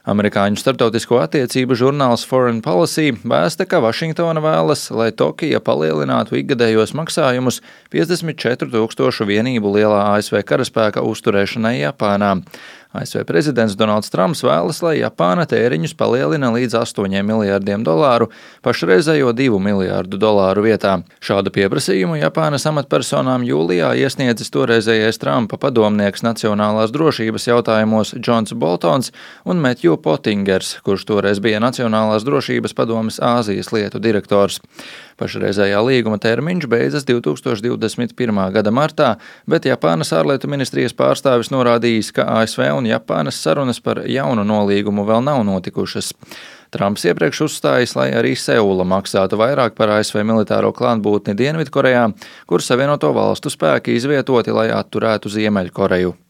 Amerikāņu starptautisko attiecību žurnāls Foreign Policy vēsta, ka Vašingtona vēlas, lai Tokija palielinātu ikgadējos maksājumus 54,000 vienību lielā ASV karaspēka uzturēšanai Japānā. ASV prezidents Donalds Trumps vēlas, lai Japāna tēriņus palielina līdz $8 miljārdiem, pašreizējo $2 miljārdu vietā. Šādu pieprasījumu Japānas amatpersonām jūlijā iesniedzis toreizējais Trumpa padomnieks nacionālās drošības jautājumos Džons Boltons un Metju Potingers, kurš toreiz bija Nacionālās drošības padomes Āzijas lietu direktors. Pašreizējā līguma termiņš beidzas 2021. gada martā, bet Japānas ārlietu ministrijas pārstāvis norādījis, ka ASV un Japānas sarunas par jaunu nolīgumu vēl nav notikušas. Trumps iepriekš uzstājis, lai arī Seula maksātu vairāk par ASV militāro klātbūtni Dienvidkorejā, kur Savienoto valstu spēki izvietoti, lai atturētu Ziemeļkoreju.